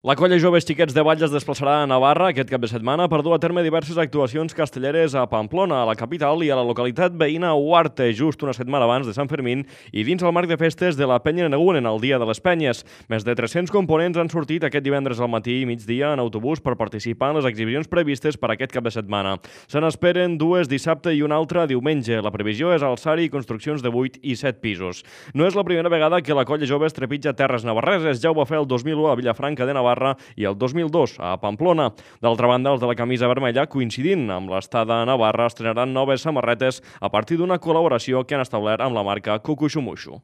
La colla Joves Xiquets de Vall es desplaçarà a Navarra aquest cap de setmana per dur a terme diverses actuacions castelleres a Pamplona, a la capital, i a la localitat veïna Huarte, just una setmana abans de Sant Fermín i dins el marc de festes de la Penya Negunen, el Dia de les Penyes. Més de 300 components han sortit aquest divendres al matí i migdia en autobús per participar en les exhibicions previstes per aquest cap de setmana. Se n'esperen dues dissabte i una altra diumenge. La previsió és alçar-hi construccions de 8 i 7 pisos. No és la primera vegada que la colla Joves trepitja terres navarreses. Ja ho va fer el 2001 a Vilafranca de Navarra i el 2002 a Pamplona. D'altra banda, els de la camisa vermella, coincidint amb l'estada a Navarra, estrenaran noves samarretes a partir d'una col·laboració que han establert amb la marca Cucuxumuxu.